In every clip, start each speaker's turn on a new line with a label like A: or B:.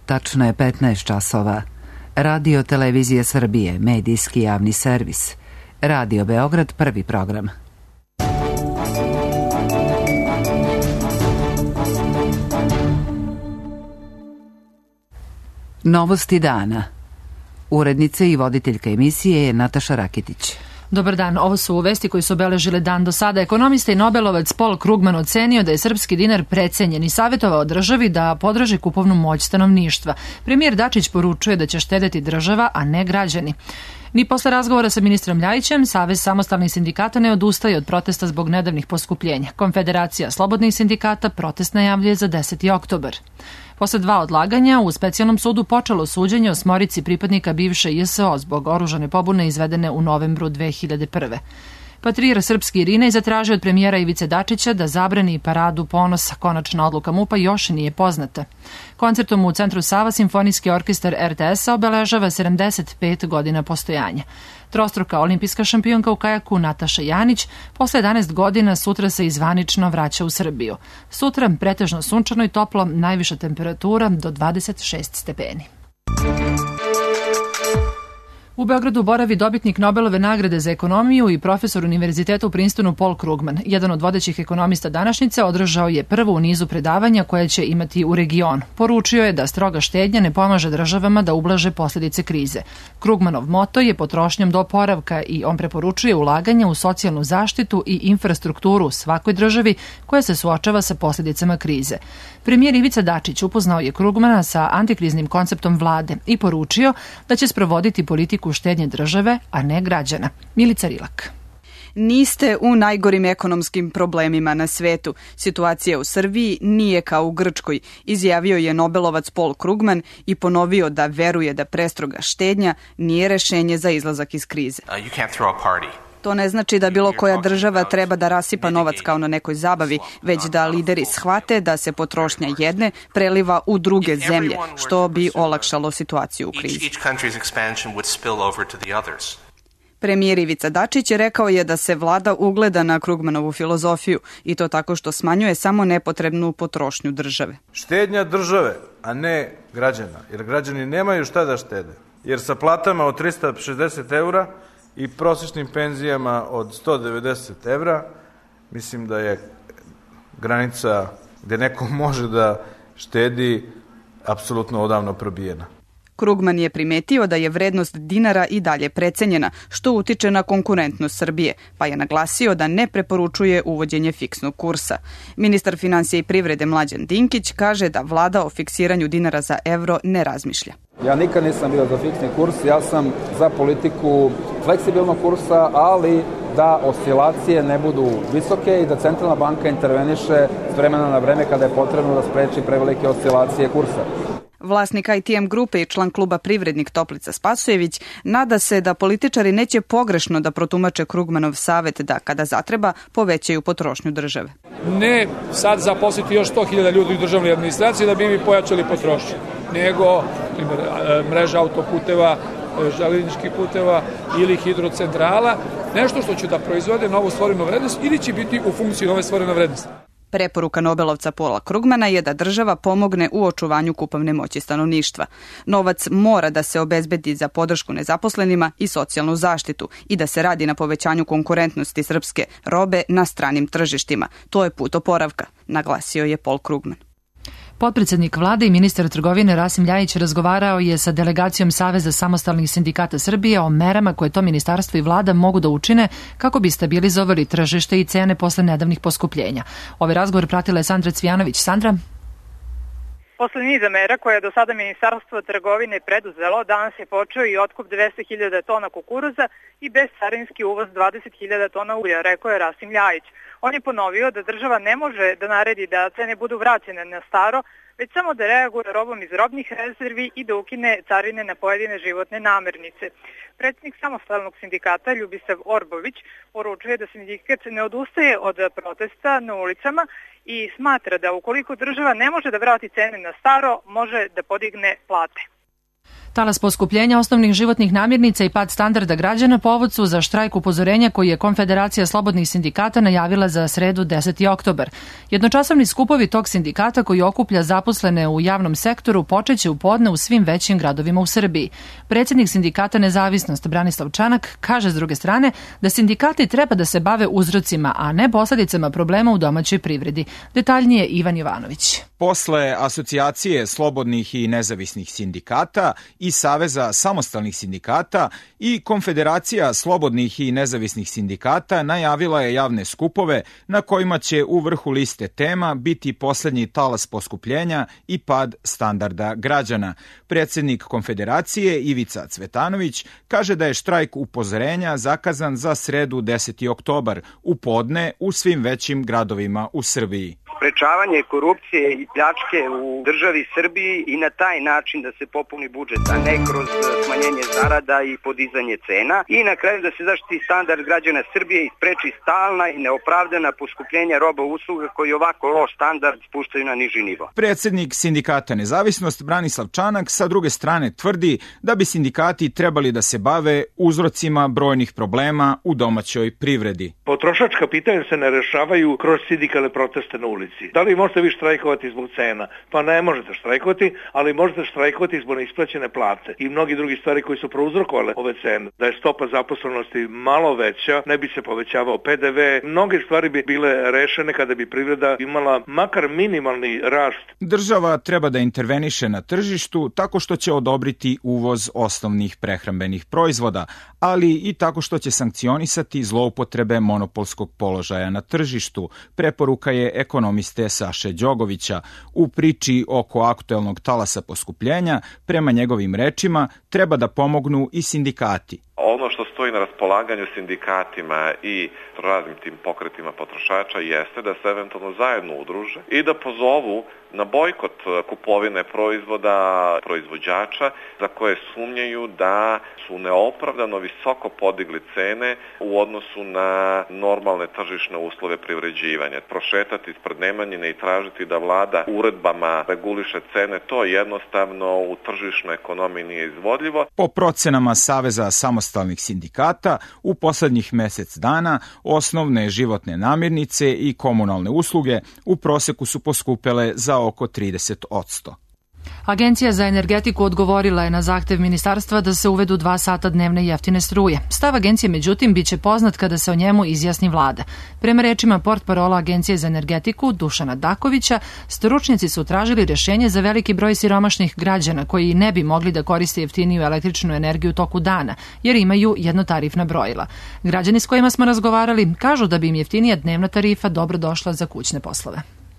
A: Tačno je 15 časova. Radio Televizije Srbije, medijski javni servis. Radio Beograd, prvi program. Novosti dana. Urednica i voditeljka emisije je Nataša Rakitić.
B: Dobar dan, ovo su vesti koji su obeležile dan do sada. Ekonomista i Nobelovac Paul Krugman ocenio da je srpski dinar precenjen i savjetovao državi da podrži kupovnu moć stanovništva. Premijer Dačić poručuje da će štedeti država, a ne građani. Ni posle razgovora sa ministrom Ljajićem, Savez samostalnih sindikata ne odustaje od protesta zbog nedavnih poskupljenja. Konfederacija slobodnih sindikata protest najavljuje za 10. oktobar. Posle 2 odlaganja, u specijalnom sudu počelo suđenje o 8 pripadnika bivše JSO zbog oružane pobune izvedene u novembru 2001. Patrijarh srpski Irinej zatražio od premijera Ivice Dačića da zabrani paradu ponosa. Konačna odluka MUP-a još nije poznata. Koncertom u Centru Sava Simfonijski orkestar RTS-a obeležava 75 godina postojanja. Trostruka olimpijska šampionka u kajaku Nataša Janić posle 11 godina sutra se izvanično vraća u Srbiju. Sutra pretežno sunčano i toplo, najviša temperatura do 26 stepeni. U Beogradu boravi dobitnik Nobelove nagrade za ekonomiju i profesor univerziteta u Princetonu Paul Krugman. Jedan od vodećih ekonomista današnjice održao je prvo u nizu predavanja koje će imati u regionu. Poručio je da stroga štednja ne pomaže državama da ublaže posljedice krize. Krugmanov moto je potrošnjom do oporavka i on preporučuje ulaganje u socijalnu zaštitu i infrastrukturu u svakoj državi koja se suočava sa posljedicama krize. Premijer Ivica Dačić upoznao je Krugmana sa antikriznim konceptom vlade i poručio da će sprovoditi politiku štednje države, a ne građana. Milica Rilak.
C: Niste u najgorim ekonomskim problemima na svetu. Situacija u Srbiji nije kao u Grčkoj, izjavio je Nobelovac Paul Krugman i ponovio da veruje da prestroga štednja nije rešenje za izlazak iz krize. To ne znači da bilo koja država treba da rasipa novac kao na nekoj zabavi, već da lideri shvate da se potrošnja jedne preliva u druge zemlje, što bi olakšalo situaciju u krizi. Premijer Ivica Dačić rekao je da se vlada ugleda na Krugmanovu filozofiju i to tako što smanjuje samo nepotrebnu potrošnju države.
D: Štednja države, a ne građana, jer građani nemaju šta da štede. Jer sa platama od 360 eura i prosječnim penzijama od 190 evra, mislim da je granica gde neko može da štedi apsolutno odavno probijena.
C: Krugman je primetio da je vrednost dinara i dalje precenjena, što utiče na konkurentnost Srbije, pa je naglasio da ne preporučuje uvođenje fiksnog kursa. Ministar finansija i privrede Mlađan Dinkić kaže da vlada o fiksiranju dinara za evro ne razmišlja.
E: Ja nikad nisam bio za fiksni kurs, ja sam za politiku fleksibilnog kursa, ali da oscilacije ne budu visoke i da centralna banka interveniše s vremena na vreme kada je potrebno da spreči prevelike oscilacije kursa.
C: Vlasnik ITM grupe i član kluba Privrednik Toplica Spasojević nada se da političari neće pogrešno da protumače Krugmanov savet da kada zatreba povećaju potrošnju države.
F: Ne sad zaposliti još 100.000 ljudi u državnoj administraciji da bi mi pojačali potrošnju, nego mreža autoputeva, železničkih puteva ili hidrocentrala, nešto što će da proizvode novu stvorenu vrednost ili će biti u funkciji nove stvorene vrednosti.
C: Preporuka Nobelovca Paula Krugmana je da država pomogne u očuvanju kupovne moći stanovništva. Novac mora da se obezbedi za podršku nezaposlenima i socijalnu zaštitu i da se radi na povećanju konkurentnosti srpske robe na stranim tržištima. To je put oporavka, naglasio je Paul Krugman.
B: Potpredsednik vlade i ministar trgovine Rasim Ljajić razgovarao je sa delegacijom Saveza samostalnih sindikata Srbije o merama koje to ministarstvo i vlada mogu da učine kako bi stabilizovali tržište i cene posle nedavnih poskupljenja. Ovaj razgovor pratila je Sandra Cvijanović. Sandra?
G: Posle niza mera koje je do sada Ministarstvo trgovine preduzelo, danas je počeo i otkup 200.000 tona kukuruza i bezcarinski uvoz 20.000 tona ulja, rekao je Rasim Ljajić. On je ponovio da država ne može da naredi da cene budu vraćene na staro, već samo da reaguje robom iz robnih rezervi i da ukine carine na pojedine životne namirnice. Predsjednik samostalnog sindikata Ljubisav Orbović poručuje da sindikat ne odustaje od protesta na ulicama i smatra da ukoliko država ne može da vrati cene na staro, može da podigne plate.
B: Talas poskupljenja osnovnih životnih namirnica i pad standarda građana povod su za štrajk upozorenja koji je Konfederacija slobodnih sindikata najavila za sredu 10. oktobar. Jednočasovni skupovi tog sindikata koji okuplja zaposlene u javnom sektoru počeće u podne u svim većim gradovima u Srbiji. Predsjednik sindikata Nezavisnost Branislav Čanak kaže s druge strane da sindikati treba da se bave uzrocima, a ne posledicama problema u domaćoj privredi. Detaljnije Ivan Jovanović.
H: Posle Asocijacije slobodnih i nezavisnih sindikata i Saveza samostalnih sindikata i Konfederacija slobodnih i nezavisnih sindikata najavila je javne skupove na kojima će u vrhu liste tema biti poslednji talas poskupljenja i pad standarda građana. Predsjednik Konfederacije Ivica Cvetanović kaže da je štrajk upozorenja zakazan za sredu 10. oktobar u podne u svim većim gradovima u Srbiji.
I: Sprečavanje korupcije i pljačke u državi Srbiji i na taj način da se popuni budžet, a ne kroz smanjenje zarada i podizanje cena. I na kraju da se zaštiti standard građana Srbije i spreči stalna i neopravdana poskupljenja roba i usluga koji ovako loš standard spuštaju na niži nivo.
H: Predsjednik sindikata Nezavisnost Branislav Čanak sa druge strane tvrdi da bi sindikati trebali da se bave uzrocima brojnih problema u domaćoj privredi.
J: Potrošačka pitanja se ne rešavaju kroz sindikalne proteste na ulici. Da li možete vi štrajkovati zbog cena? Pa ne možete štrajkovati, ali možete štrajkovati zbog neisplaćene plate i mnogi drugi stvari koji su prouzrokovale ove cene. Da je stopa zaposlenosti malo veća, ne bi se povećavao PDV, mnoge stvari bi bile rešene kada bi privreda imala makar minimalni rast.
H: Država treba da interveniše na tržištu tako što će odobriti uvoz osnovnih prehrambenih proizvoda, ali i tako što će sankcionisati zloupotrebe monopolskog položaja na tržištu, preporuka je ekonomiste Saše Đogovića. U priči oko aktuelnog talasa poskupljenja, prema njegovim rečima, treba da pomognu i sindikati.
K: Ono što stoji na raspolaganju sindikatima i raznim tim pokretima potrošača jeste da se eventualno zajedno udruže i da pozovu na bojkot kupovine proizvoda proizvođača za koje sumnjaju da su neopravdano visoko podigli cene u odnosu na normalne tržišne uslove privređivanja. Prošetati ispred Nemanjine i tražiti da vlada uredbama reguliše cene, to jednostavno u tržišnoj ekonomiji nije izvodljivo.
H: Po procenama Saveza samostalnih sindikata, u poslednjih mesec dana osnovne životne namirnice i komunalne usluge u proseku su poskupele za oko 30%.
B: Agencija za energetiku odgovorila je na zahtev ministarstva da se uvedu 2 sata dnevne jeftine struje. Stav agencije, međutim, biće poznat kada se o njemu izjasni vlada. Prema rečima portparola Agencije za energetiku Dušana Dakovića, stručnjaci su tražili rješenje za veliki broj siromašnih građana koji ne bi mogli da koriste jeftiniju električnu energiju u toku dana, jer imaju jednotarifna brojila. Građani s kojima smo razgovarali kažu da bi im jeftinija dnevna tarifa dobro došla za kućne poslove.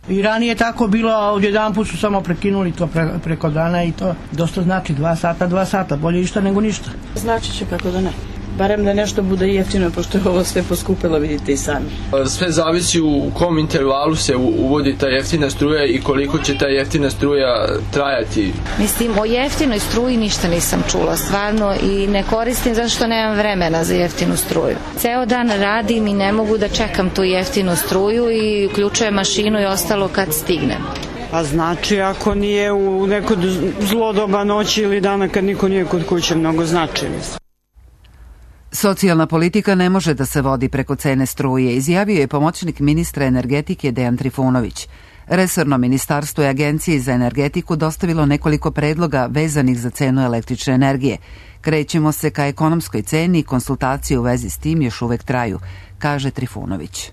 L: I ranije tako bilo, a odjedanput su samo prekinuli to preko dana i to dosta znači 2 sata, bolje ništa nego ništa.
M: Znači će kako da ne. Barem da nešto bude jeftino, pošto je ovo sve poskupilo, vidite i sami.
N: Sve zavisi u kom intervalu se uvodi ta jeftina struja i koliko će ta jeftina struja trajati.
O: Mislim, o jeftinoj struji ništa nisam čula, stvarno, i ne koristim zato što nemam vremena za jeftinu struju. Ceo dan radim i ne mogu da čekam tu jeftinu struju i uključujem mašinu i ostalo kad stignem.
P: Pa znači, ako nije u neko zlo doba noći ili dana kad niko nije kod kuće, mnogo znači.
A: Socijalna politika ne može da se vodi preko cene struje, izjavio je pomoćnik ministra energetike Dejan Trifunović. Resorno ministarstvo i Agenciji za energetiku dostavilo nekoliko predloga vezanih za cenu električne energije. Krećemo se ka ekonomskoj ceni i konsultacije u vezi s tim još uvek traju, kaže Trifunović.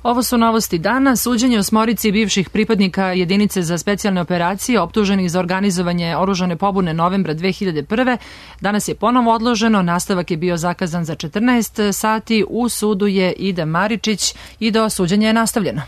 B: Ovo su novosti dana. Suđenje osmorici bivših pripadnika jedinice za specijalne operacije optuženih za organizovanje oružane pobune novembra 2001. danas je ponovo odloženo. Nastavak je bio zakazan za 14 sati. U sudu je Ida Maričić i do suđenja je nastavljeno.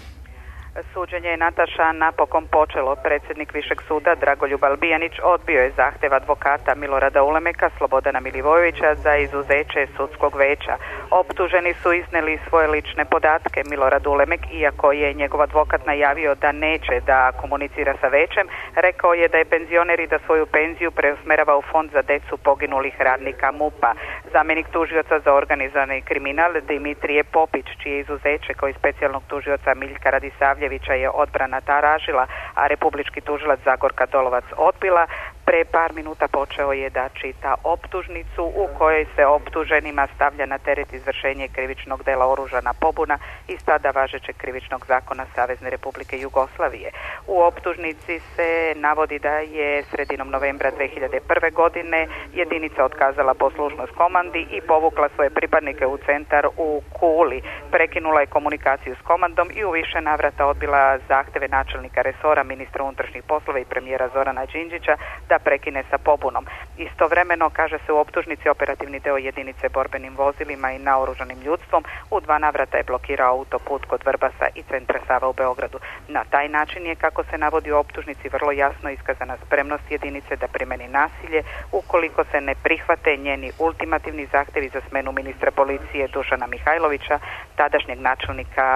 G: Suđenje je Nataša napokon počelo. Predsjednik Višeg suda Dragoljub Albijanić odbio je zahtev advokata Milorada Ulemeka, Slobodana Milivojevića za izuzeće sudskog veća. Optuženi su izneli svoje lične podatke. Milorad Ulemek, iako je njegov advokat najavio da neće da komunicira sa većem, rekao je da je penzioner i da svoju penziju preusmerava u fond za decu poginulih radnika MUP-a. Zamjenik tužioca za organizovani kriminal Dimitrije Popić, čije izuzeće kao i specijalnog tužioca Miljka Radisavljevića
Q: Pavljevića je odbrana tražila, a republički tužilac Zagorka Dolovac odbila. Pre par minuta počeo je da čita optužnicu u kojoj se optuženima stavlja na teret izvršenje krivičnog dela oružana pobuna iz tada važećeg krivičnog zakona Savezne Republike Jugoslavije. U optužnici se navodi da je sredinom novembra 2001. godine jedinica otkazala poslušnost komandi i povukla svoje pripadnike u centar u Kuli. Prekinula je komunikaciju s komandom i u više navrata odbila zahteve načelnika resora, ministra unutrašnjih poslova i premijera Zorana Đinđića da prekine sa pobunom. Istovremeno, kaže se u optužnici, operativni deo jedinice borbenim vozilima i naoružanim ljudstvom u 2 navrata je blokirao autoput kod Vrbasa i centra Sava u Beogradu. Na taj način je, kako se navodi u optužnici, vrlo jasno iskazana spremnost jedinice da primeni nasilje ukoliko se ne prihvate njeni ultimativni zahtevi za smenu ministra policije Dušana Mihajlovića, tadašnjeg načelnika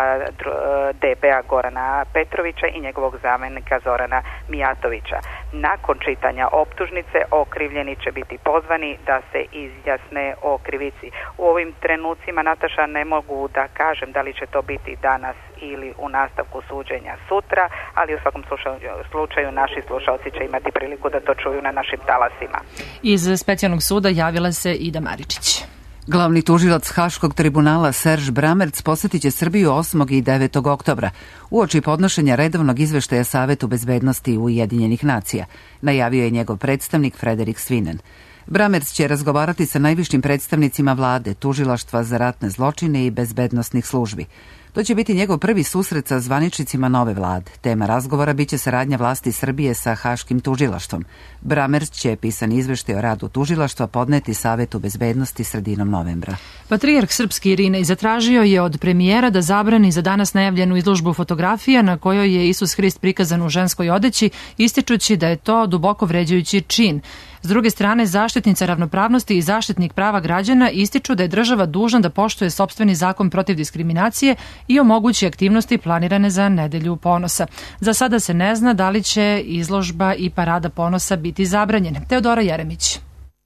Q: DB-a Gorana Petrovića i njegovog zamenika Zorana Mijatovića. Nakon čitanja optužnice okrivljeni će biti pozvani da se izjasne o krivici. U ovim trenucima, Nataša, ne mogu da kažem da li će to biti danas ili u nastavku suđenja sutra, ali u svakom slučaju naši slušalci će imati priliku da to čuju na našim talasima.
B: Iz specijalnog suda javila se Ida Maričić.
A: Glavni tužilac Haškog tribunala Serž Bramerc posetit će Srbiju 8. i 9. oktobra uoči podnošenja redovnog izveštaja Savetu bezbednosti Ujedinjenih nacija, najavio je njegov predstavnik Frederik Svinen. Bramerc će razgovarati sa najvišim predstavnicima vlade, tužilaštva za ratne zločine i bezbednosnih službi. To će biti njegov prvi susret sa zvaničnicima nove vlade. Tema razgovora biće saradnja vlasti Srbije sa Haškim tužilaštvom. Bramerc će pisani izveštaj o radu tužilaštva podneti Savetu bezbednosti sredinom novembra.
B: Patrijarh srpski Irinej zatražio je od premijera da zabrani za danas najavljenu izložbu fotografija na kojoj je Isus Hrist prikazan u ženskoj odeći, ističući da je to duboko vređajući čin. S druge strane, zaštitnica ravnopravnosti i zaštitnik prava građana ističu da je država dužna da poštuje sopstveni zakon protiv diskriminacije i omogući aktivnosti planirane za Nedelju ponosa. Za sada se ne zna da li će izložba i parada ponosa biti zabranjene. Teodora Jeremić.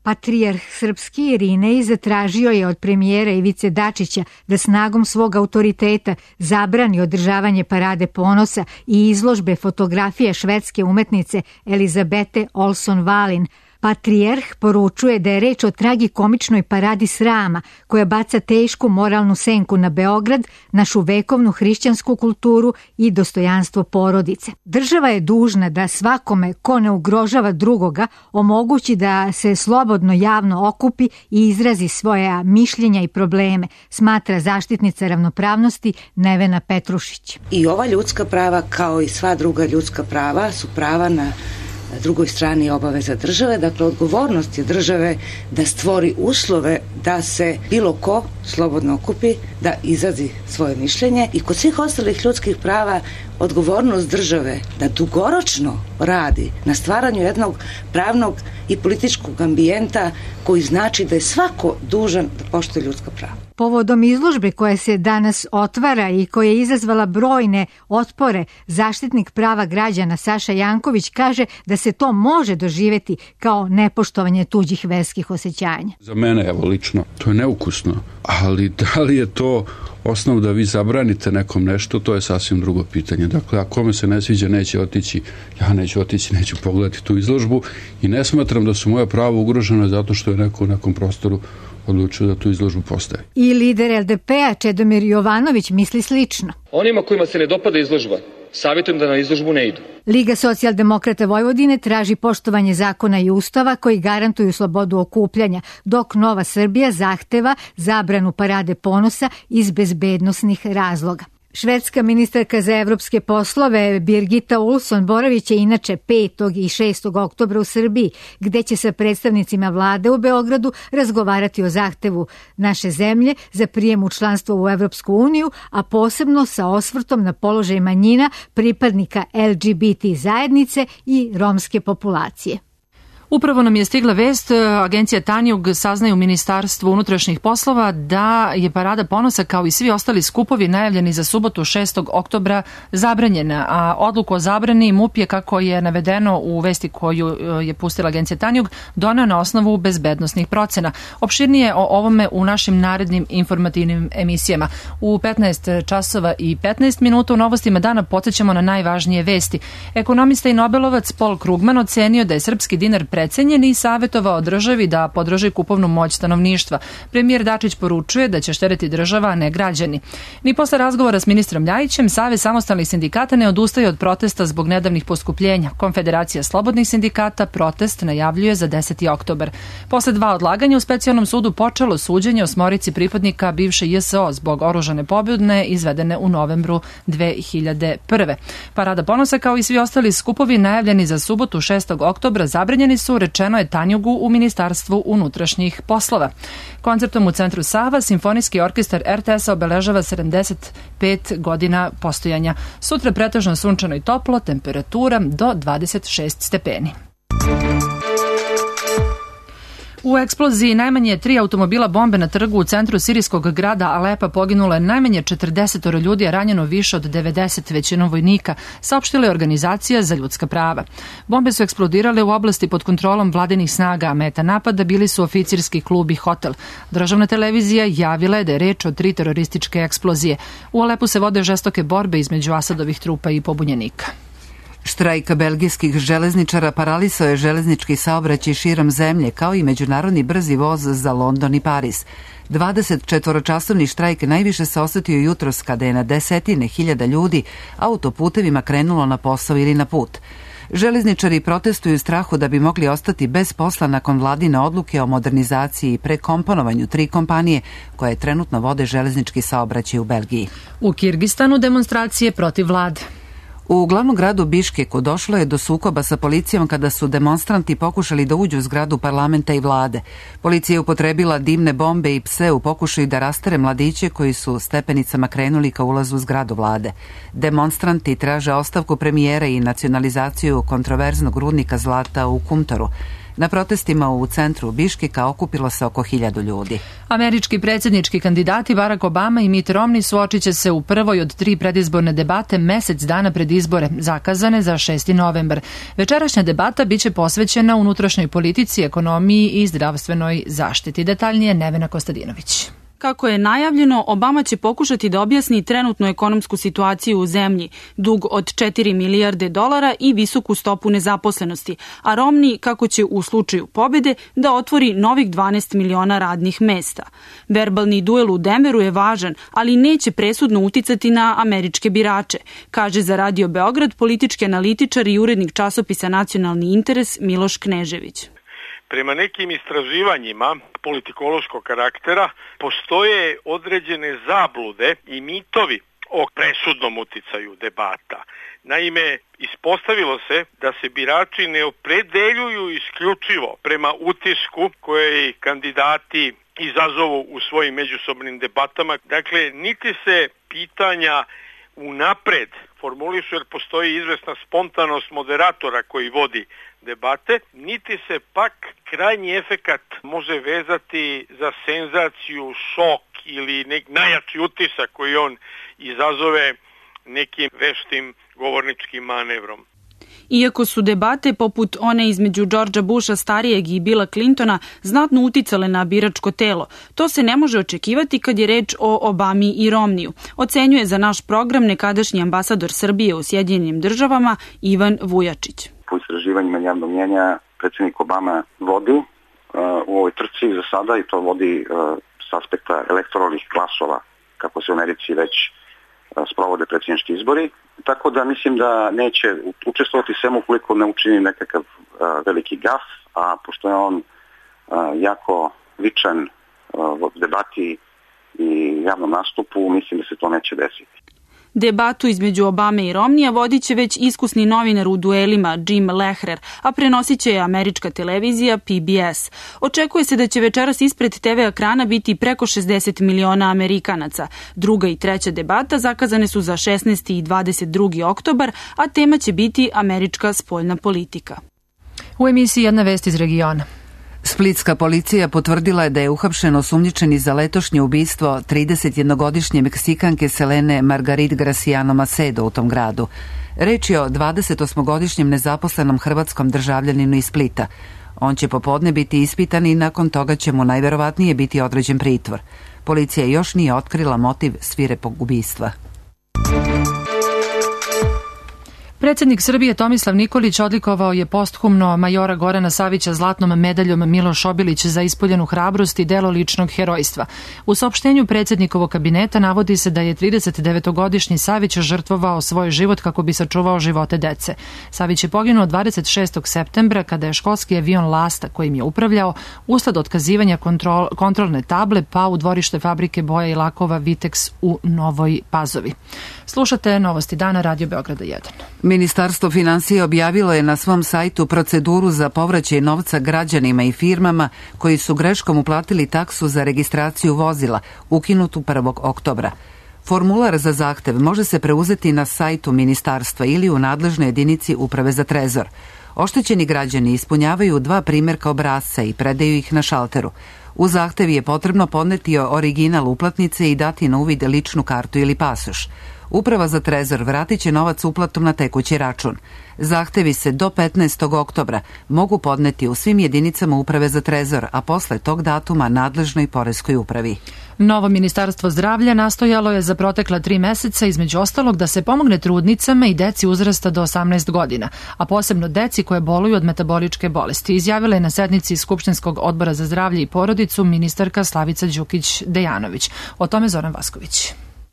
R: Patrijarh srpski Irinej zatražio je od premijera Ivice Dačića da snagom svog autoriteta zabrani održavanje parade ponosa i izložbe fotografija švedske umetnice Elizabete Olson-Valin. Patrijarh poručuje da je reč o tragikomičnoj paradi srama koja baca tešku moralnu senku na Beograd, našu vekovnu hrišćansku kulturu i dostojanstvo porodice. Država je dužna da svakome ko ne ugrožava drugoga omogući da se slobodno javno okupi i izrazi svoja mišljenja i probleme, smatra zaštitnica ravnopravnosti Nevena Petrušić.
S: I ova ljudska prava, kao i sva druga ljudska prava, su prava na drugoj strani je obaveza države, dakle odgovornost je države da stvori uslove da se bilo ko slobodno okupi, da izrazi svoje mišljenje i kod svih ostalih ljudskih prava odgovornost države da dugoročno radi na stvaranju jednog pravnog i političkog ambijenta koji znači da je svako dužan da poštuje ljudska prava.
R: Povodom izložbe koja se danas otvara i koja je izazvala brojne otpore, zaštitnik prava građana Saša Janković kaže da se to može doživeti kao nepoštovanje tuđih verskih osjećanja.
T: Za mene, evo lično, to je neukusno, ali da li je to osnov da vi zabranite nekom nešto, to je sasvim drugo pitanje. Dakle, ako kome se ne sviđa, neće otići, ja neću otići, neću pogledati tu izložbu i ne smatram da su moja prava ugrožena zato što je neko u nekom prostoru odlučio da tu izložbu postavi.
R: I lider LDP-a Čedomir Jovanović misli slično.
U: Onima kojima se ne dopada izložba, savjetujem da na izložbu ne idu.
R: Liga socijaldemokrata Vojvodine traži poštovanje zakona i ustava koji garantuju slobodu okupljanja, dok Nova Srbija zahteva zabranu parade ponosa iz bezbednosnih razloga. Švedska ministarka za evropske poslove Birgitta Olsson boraviće inače 5. i 6. oktobra u Srbiji, gde će sa predstavnicima vlade u Beogradu razgovarati o zahtevu naše zemlje za prijem u članstvo u Evropsku uniju, a posebno sa osvrtom na položaj manjina, pripadnika LGBT zajednice i romske populacije.
B: Upravo nam je stigla vest, agencija Tanjug saznaje u Ministarstvu unutrašnjih poslova da je Parada ponosa kao i svi ostali skupovi najavljeni za subotu 6. oktobra zabranjena, a odluku o zabrani MUP je, kako je navedeno u vesti koju je pustila agencija Tanjug, doneo na osnovu bezbednosnih procena. Opširnije o ovome u našim narednim informativnim emisijama. U 15 časova i 15 minuta u novostima dana podsjećamo na najvažnije vesti. Ekonomista i nobelovac Paul Krugman ocenio da je srpski dinar precenjen i savjetovao državi da podrži kupovnu moć stanovništva. Premijer Dačić poručuje da će štedeti država, a ne građani. Ni posle razgovora s ministrom Ljajićem, Savez samostalnih sindikata ne odustaje od protesta zbog nedavnih poskupljenja. Konfederacija slobodnih sindikata protest najavljuje za 10. oktobar. Posle 2 odlaganja u specijalnom sudu počelo suđenje 8 pripadnika bivše JSO zbog oružane pobune izvedene u novembru 2001. Parada ponosa kao i svi ostali skupovi najavljeni za subotu 6. oktobra zabranjeni su, rečeno je Tanjugu u Ministarstvu unutrašnjih poslova. Koncertom u centru Sava Simfonijski orkestar RTS-a obeležava 75 godina postojanja. Sutra pretežno sunčano i toplo, temperatura do 26 stepeni. U eksploziji najmanje 3 automobila bombe na trgu u centru sirijskog grada Alepa poginulo je najmanje 40 ljudi, a ranjeno više od 90, većinom vojnika, saopštila je Organizacija za ljudska prava. Bombe su eksplodirale u oblasti pod kontrolom vladinih snaga, a meta napada bili su oficirski klub i hotel. Državna televizija javila je da je reč o 3 terorističke eksplozije. U Alepu se vode žestoke borbe između Asadovih trupa i pobunjenika.
A: Štrajk belgijskih železničara paralisao je železnički saobraćaj širom zemlje, kao i međunarodni brzi voz za London i Pariz. 24-časovni štrajk najviše se osetio jutros kada je na desetine hiljada ljudi autoputevima krenulo na posao ili na put. Železničari protestuju u strahu da bi mogli ostati bez posla nakon vladine odluke o modernizaciji i prekomponovanju 3 kompanije koje trenutno vode železnički saobraćaj u Belgiji.
B: U Kirgistanu demonstracije protiv vlade.
A: U glavnom gradu Biškeku došlo je do sukoba sa policijom kada su demonstranti pokušali da uđu u zgradu parlamenta i vlade. Policija je upotrebila dimne bombe i pse u pokušaju da rastere mladiće koji su stepenicama krenuli ka ulazu u zgradu vlade. Demonstranti traže ostavku premijera i nacionalizaciju kontroverznog rudnika zlata u Kumtoru. Na protestima u centru Biškeka okupilo se oko 1000 ljudi.
B: Američki predsjednički kandidati Barack Obama i Mitt Romney suočit će se u prvoj od 3 predizborne debate mesec dana pred izbore, zakazane za 6. novembar. Večerašnja debata biće posvećena unutrašnjoj politici, ekonomiji i zdravstvenoj zaštiti. Detaljnije Nevena Kostadinović.
D: Kako je najavljeno, Obama će pokušati da objasni trenutnu ekonomsku situaciju u zemlji, dug od 4 milijarde dolara i visoku stopu nezaposlenosti, a Romney kako će u slučaju pobede da otvori novih 12 miliona radnih mesta. Verbalni duel u Denveru je važan, ali neće presudno uticati na američke birače, kaže za Radio Beograd politički analitičar i urednik časopisa Nacionalni interes Miloš Knežević.
V: Prema nekim istraživanjima politikološkog karaktera postoje određene zablude i mitovi o presudnom uticaju debata. Naime, ispostavilo se da se birači ne opredeljuju isključivo prema utisku koje kandidati izazovu u svojim međusobnim debatama. Dakle, niti se pitanja unapred formulišu jer postoji izvesna spontanost moderatora koji vodi debate, niti se pak krajnji efekat može vezati za senzaciju, šok ili najjači utisak koji on izazove nekim veštim govorničkim manevrom.
D: Iako su debate poput one između Georgea Busha starijeg i Billa Clintona znatno uticale na biračko telo, to se ne može očekivati kad je reč o Obami i Romneyu, ocenjuje za naš program nekadašnji ambasador Srbije u Sjedinjenim državama Ivan Vujačić.
W: Po istraživanjima javnog mnjenja predsjednik Obama vodi u ovoj trci za sada i to vodi s aspekta elektoralnih glasova, kako se u Americi već sprovode predsjednički izbori. Tako da mislim da neće učestvovati sem ukoliko ne učini nekakav veliki gaf, a pošto je on jako vičan u debati i javnom nastupu, mislim da se to neće desiti.
D: Debatu između Obame i Romneya vodit će već iskusni novinar u duelima Jim Lehrer, a prenosit će je američka televizija PBS. Očekuje se da će večeras ispred TV ekrana biti preko 60 miliona Amerikanaca. Druga i treća debata zakazane su za 16. i 22. oktobar, a tema će biti američka spoljna politika.
B: U emisiji jedna vest iz regiona.
A: Splitska policija potvrdila je da je uhapšen osumnjičeni za letošnje ubistvo 31-godišnje Meksikanke Selene Margarit Graciano Macedo u tom gradu. Reč je o 28-godišnjem nezaposlenom hrvatskom državljaninu iz Splita. On će popodne biti ispitan i nakon toga će mu najverovatnije biti određen pritvor. Policija još nije otkrila motiv svirepog ubistva.
B: Predsjednik Srbije Tomislav Nikolić odlikovao je posthumno majora Gorana Savića zlatnom medaljom Miloš Obilić za ispoljenu hrabrost i delo ličnog herojstva. U saopštenju predsjednikovog kabineta navodi se da je 39-godišnji Savić žrtvovao svoj život kako bi sačuvao živote dece. Savić je poginuo 26. septembra kada je školski avion Lasta kojim je upravljao usled otkazivanja kontrolne table pao u dvorište fabrike boja i lakova Vitex u Novoj Pazovi. Slušate Novosti dana Radio Beograda 1.
A: Ministarstvo finansija objavilo je na svom sajtu proceduru za povraćaj novca građanima i firmama koji su greškom uplatili taksu za registraciju vozila, ukinutu 1. oktobra. Formular za zahtev može se preuzeti na sajtu ministarstva ili u nadležnoj jedinici Uprave za trezor. Oštećeni građani ispunjavaju 2 primjerka obrasca i predaju ih na šalteru. U zahtev je potrebno podneti original uplatnice i dati na uvid ličnu kartu ili pasoš. Uprava za trezor vratit će novac uplatom na tekući račun. Zahtevi se do 15. oktobra mogu podneti u svim jedinicama Uprave za trezor, a posle tog datuma nadležnoj poreskoj upravi.
B: Novo ministarstvo zdravlja nastojalo je za protekla 3 meseca između ostalog da se pomogne trudnicama i deci uzrasta do 18 godina, a posebno deci koje boluju od metaboličke bolesti. Izjavila je na sednici Skupštinskog odbora za zdravlje i porodicu ministarka Slavica Đukić-Dejanović. O tome Zoran Vasković.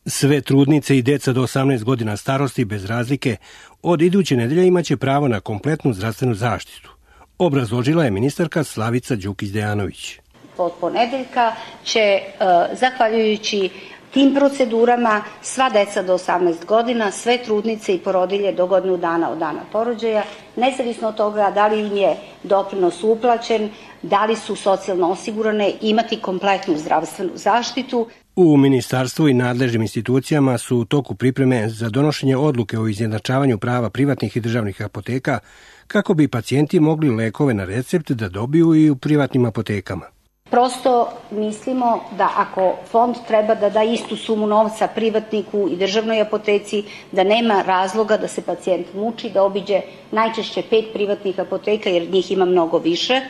C: Sve trudnice i deca do 18 godina starosti bez razlike od iduće nedelje imaće pravo na kompletnu zdravstvenu zaštitu. Obrazložila je ministarka Slavica Đukić-Dejanović.
E: Od ponedeljka će, zahvaljujući tim procedurama, sva deca do 18 godina, sve trudnice i porodilje do godinu dana od dana porođaja, nezavisno od toga da li im je doprinos uplaćen, da li su socijalno osigurane, imati kompletnu zdravstvenu zaštitu.
C: U ministarstvu i nadležnim institucijama su u toku pripreme za donošenje odluke o izjednačavanju prava privatnih i državnih apoteka kako bi pacijenti mogli lekove na recept da dobiju i u privatnim apotekama.
E: Prosto mislimo da ako fond treba da da istu sumu novca privatniku i državnoj apoteci, da nema razloga da se pacijent muči, da obiđe najčešće 5 privatnih apoteka jer njih ima mnogo više,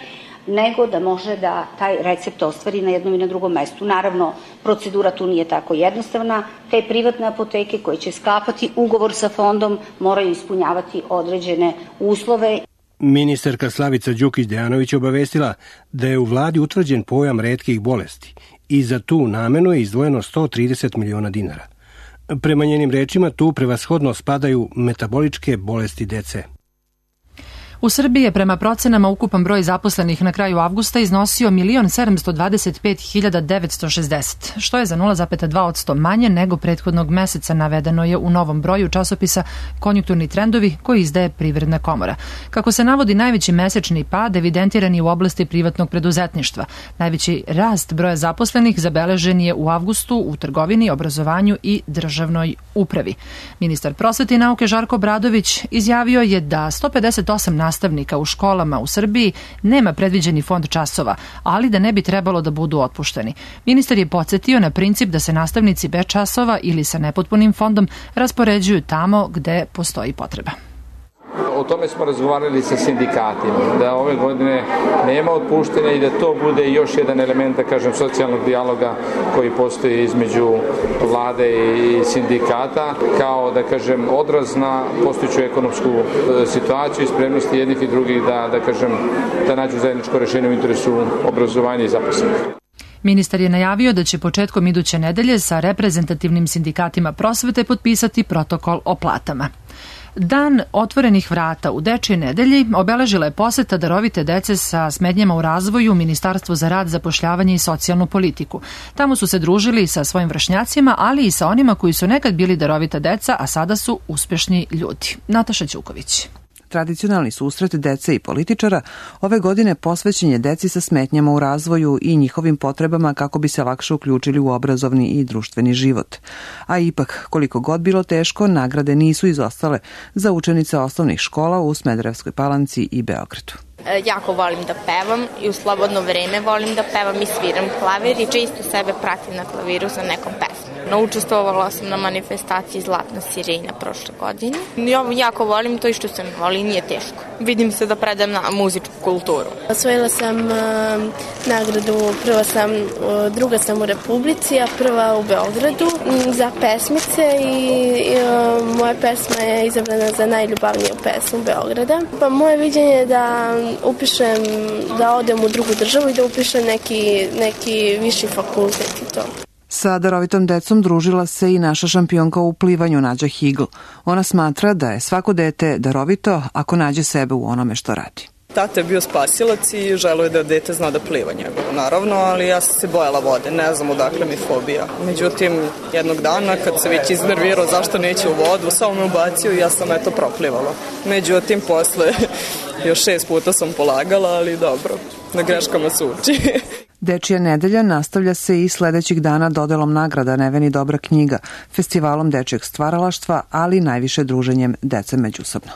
E: nego da može da taj recept ostvari na jednom i na drugom mestu. Naravno, procedura tu nije tako jednostavna. Te privatne apoteke koje će sklapati ugovor sa fondom moraju ispunjavati određene uslove.
C: Ministarka Slavica Đukić-Dejanović obavestila da je u vladi utvrđen pojam retkih bolesti i za tu namenu je izdvojeno 130 miliona dinara. Prema njenim rečima tu prevashodno spadaju metaboličke bolesti dece.
B: U Srbiji je prema procenama ukupan broj zaposlenih na kraju avgusta iznosio 1.725.960, što je za 0,2% manje nego prethodnog meseca, navedeno je u novom broju časopisa Konjunkturni trendovi koji izdaje Privredna komora. Kako se navodi, najveći mesečni pad evidentiran je u oblasti privatnog preduzetništva. Najveći rast broja zaposlenih zabeležen je u avgustu u trgovini, obrazovanju i državnoj upravi. Ministar prosvete i nauke Žarko Obradović izjavio je da 158 nastavnika u školama u Srbiji nema predviđeni fond časova, ali da ne bi trebalo da budu otpušteni. Ministar je podsjetio na princip da se nastavnici bez časova ili sa nepotpunim fondom raspoređuju tamo gde postoji potreba.
F: O tome smo razgovarali sa sindikatima, da ove godine nema otpuštenja i da to bude još jedan element, da kažem, socijalnog dijaloga koji postoji između vlade i sindikata, kao, da kažem, odraz na postojeću ekonomsku situaciju i spremnosti jednih i drugih da kažem, da nađu zajedničko rešenje u interesu obrazovanja i zaposlenih.
B: Ministar je najavio da će početkom iduće nedelje sa reprezentativnim sindikatima prosvete potpisati protokol o platama. Dan otvorenih vrata u Dečijoj nedelji obeležila je poseta darovite dece sa smetnjama u razvoju Ministarstvu za rad, zapošljavanje i socijalnu politiku. Tamo su se družili sa svojim vršnjacima, ali i sa onima koji su nekad bili darovita deca, a sada su uspešni ljudi. Nataša Ćuković.
X: Tradicionalni susret dece i političara ove godine posvećen je deci sa smetnjama u razvoju i njihovim potrebama kako bi se lakše uključili u obrazovni i društveni život. A ipak, koliko god bilo teško, nagrade nisu izostale za učenice osnovnih škola u Smederevskoj Palanci i Beogradu.
H: jako volim da pevam i u slobodno vreme volim da pevam i sviram klavir i često sebe pratim na klaviru sa nekom pesmom. Učestvovala sam na manifestaciji Zlatna sirena prošle godine. Ja jako volim to i što se mi voli, nije teško. Vidim se da predam na muzičku kulturu.
I: Osvojila sam nagradu, druga sam u Republici, a prva u Beogradu za pesmice i moja pesma je izabrana za najljubavniju pesmu Beograda. Pa moje viđenje je da upišem, da odem u drugu državu i da upišem neki viši fakultet i to.
X: Sa darovitom decom družila se i naša šampionka u plivanju Nađa Higl. Ona smatra da je svako dete darovito ako nađe sebe u onome što radi.
J: Tata je bio spasilac i želeo je da dete zna da pliva njegovo, naravno, ali ja sam se bojala vode, ne znam odakle mi fobija. Međutim, jednog dana kad se već iznervirao zašto neće u vodu, samo me ubacio i ja sam proplivala. Međutim, posle još 6 puta sam polagala, ali dobro, na greškama se uči.
X: Dečija nedelja nastavlja se i sledećih dana dodelom nagrada Neveni dobra knjiga, festivalom dečijeg stvaralaštva, ali najviše druženjem dece međusobno.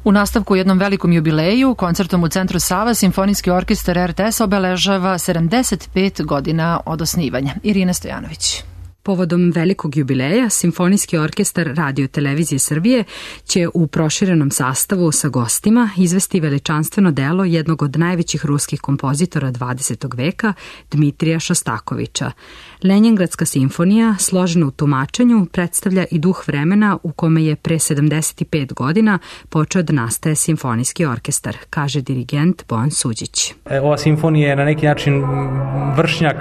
B: U nastavku jednom velikom jubileju, koncertom u Centru Sava, Simfonijski orkestar RTS obeležava 75 godina od osnivanja. Irina Stojanović.
K: Povodom velikog jubileja, Simfonijski orkestar Radio Televizije Srbije će u proširenom sastavu sa gostima izvesti veličanstveno delo jednog od najvećih ruskih kompozitora 20. veka, Dmitrija Šostakovića. Lenjingradska simfonija, složena u tumačenju, predstavlja i duh vremena u kome je pre 75 godina počeo da nastaje Simfonijski orkestar, kaže dirigent Bojan Suđić.
Y: Ova simfonija je na neki način vršnjak,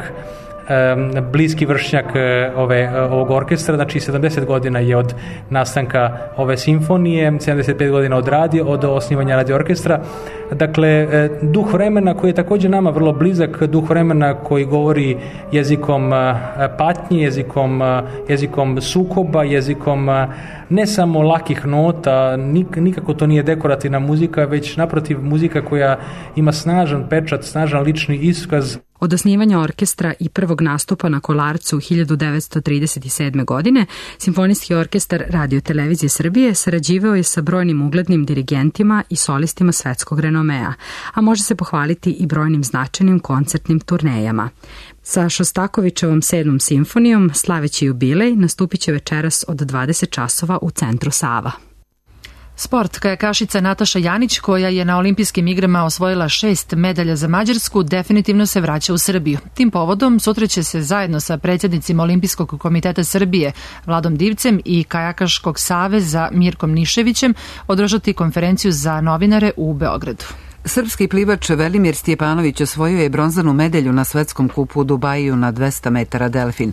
Y: bliski vršnjak ovog orkestra, znači 70 godina je od nastanka ove simfonije, 75 godina od osnivanja radio orkestra. Dakle, duh vremena koji je također nama vrlo blizak, duh vremena koji govori jezikom patnje, jezikom sukoba, jezikom ne samo lakih nota, nikako to nije dekorativna muzika, već naprotiv muzika koja ima snažan pečat, snažan lični iskaz.
K: Od osnivanja orkestra i prvog nastupa na Kolarcu 1937. godine, Simfonijski orkestar Radio Televizije Srbije sarađivao je sa brojnim uglednim dirigentima i solistima svetskog renomea, a može se pohvaliti i brojnim značajnim koncertnim turnejama. Sa Šostakovićevom 7. simfonijom, slaveći jubilej, nastupit će večeras od 20 časova u Centru Sava.
B: Sport. Kajakašica Nataša Janić, koja je na olimpijskim igrama osvojila 6 medalja za Mađarsku, definitivno se vraća u Srbiju. Tim povodom sutra će se zajedno sa predsjednicima Olimpijskog komiteta Srbije Vladom Divcem i Kajakaškog saveza Mirkom Niševićem održati konferenciju za novinare u Beogradu.
A: Srpski plivač Velimir Stjepanović osvojio je bronzanu medalju na svetskom kupu u Dubaju na 200 metara delfin.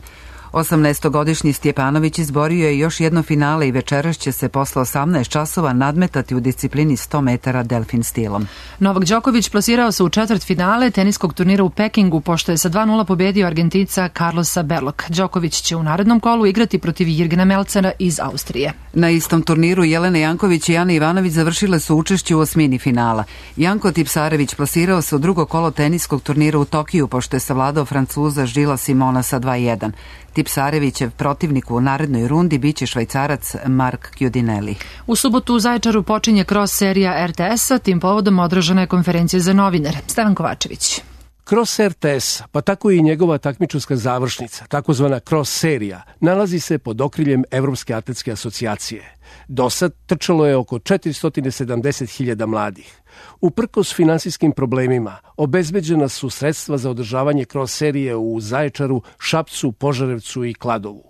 A: 18-godišnji Stjepanović izborio je još jedno finale i večeras će se posle 18 časova nadmetati u disciplini 100 metara delfin stilom.
B: Novak Đoković plasirao se u četvrtfinale teniskog turnira u Pekingu, pošto je sa 2:0 pobedio Argentinca Carlosa Berloka. Đoković će u narednom kolu igrati protiv Jirgena Melcera iz Austrije.
A: Na istom turniru Jelena Janković i Ana Ivanović završile su učešće u osmini finala. Janko Tipsarević plasirao se u drugo kolo teniskog turnira u Tokiju, pošto je savladao Francuza Žila Simona sa 2:1. Tipsarevićev protivnik u narednoj rundi biće Švajcarac Mark Chiudinelli.
B: U subotu u Zaječaru počinje cross serija RTS-a, tim povodom održana je konferencija za novinare. Stevan Kovačević.
C: Cross RTS, pa tako i njegova takmičarska završnica, takozvana cross serija, nalazi se pod okriljem Evropske atletske asocijacije. Dosad trčalo je oko 470.000 mladih. Uprkos finansijskim problemima, obezbeđena su sredstva za održavanje cross serije u Zaječaru, Šapcu, Požarevcu i Kladovu.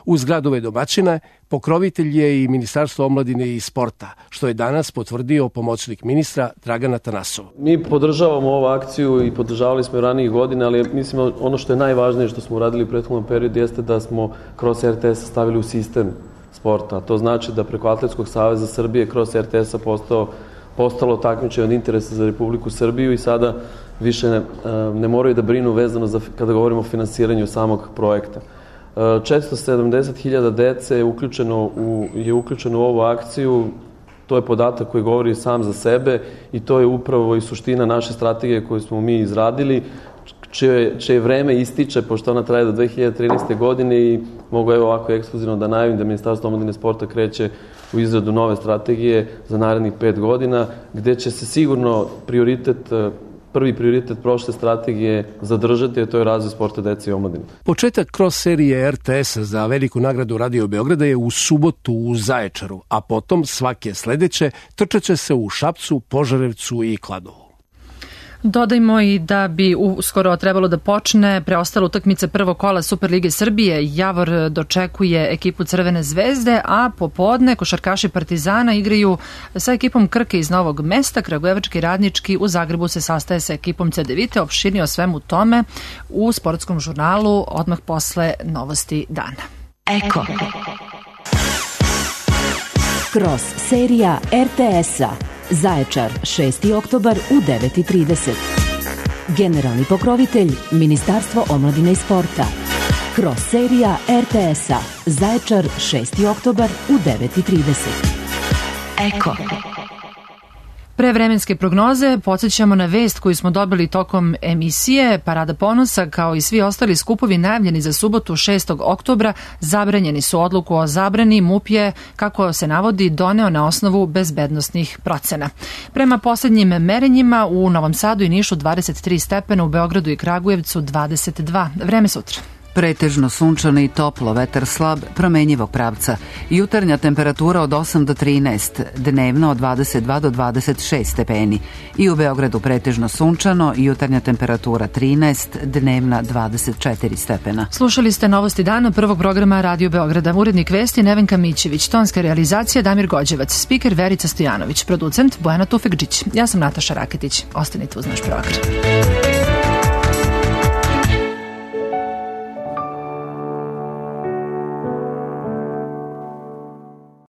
C: Uz gradove domaćina, pokrovitelj je i Ministarstvo omladine i sporta, što je danas potvrdio pomoćnik ministra Dragan Atanasov.
Z: Mi podržavamo ovu akciju i podržavali smo i ranijih godina, ali mislim ono što je najvažnije što smo uradili u prethodnom periodu jeste da smo kroz RTS stavili u sistem sporta. To znači da preko Atletskog saveza Srbije kroz RTS-a postalo takmičenje od interesa za Republiku Srbiju i sada više ne moraju da brinu vezano za kada govorimo o finansiranju samog projekta. 470.000 dece je uključeno u ovu akciju. To je podatak koji govori sam za sebe i to je upravo i suština naše strategije koju smo mi izradili, čije vreme ističe, pošto ona traje do 2013. godine i mogu ovako ekskluzivno da najavim da Ministarstvo omladine sporta kreće u izradu nove strategije za narednih 5 godina, gde će se sigurno prvi prioritet prošle strategije zadržati, a to je razvoj sporta dece i omladine.
G: Početak cross serije RTS-a za veliku nagradu Radio Beograda je u subotu u Zaječaru, a potom svake sledeće trčeće se u Šapcu, Požarevcu i Kladovu.
B: Dodajmo i da bi uskoro trebalo da počne preostala utakmica prvog kola Superlige Srbije. Javor dočekuje ekipu Crvene zvezde, a popodne košarkaši Partizana igraju sa ekipom Krke iz Novog Mesta. Kragujevački Radnički u Zagrebu se sastaje sa ekipom Cedevite. Opširnije o svemu tome u sportskom žurnalu odmah posle novosti dana.
L: Eko. Cross serija RTS-a. Zaječar, 6. oktobar u 9:30. Generalni pokrovitelj Ministarstvo omladine i sporta. Cross serija RTS-a. Zaječar, 6. oktobar u 9:30. Eko.
B: Pre vremenske prognoze podsjećamo na vest koju smo dobili tokom emisije. Parada ponosa, kao i svi ostali skupovi najavljeni za subotu 6. oktobra, zabranjeni su. Odluku o zabrani MUP je, kako se navodi, doneo na osnovu bezbednosnih procena. Prema poslednjim merenjima u Novom Sadu i Nišu 23 stepena, u Beogradu i Kragujevcu 22. Vreme sutra.
A: Pretežno sunčano i toplo, vetar slab, promenjivog pravca. Jutarnja temperatura od 8 do 13, dnevno od 22 do 26 stepeni. I u Beogradu pretežno sunčano, jutarnja temperatura 13, dnevna 24 stepena.
B: Slušali ste novosti dana prvog programa Radio Beograda. Urednik vesti Nevenka Mićević, tonska realizacija Damir Gođevac, spiker Verica Stojanović, producent Bojana Tufekđić. Ja sam Nataša Raketić. Ostanite uz naš program.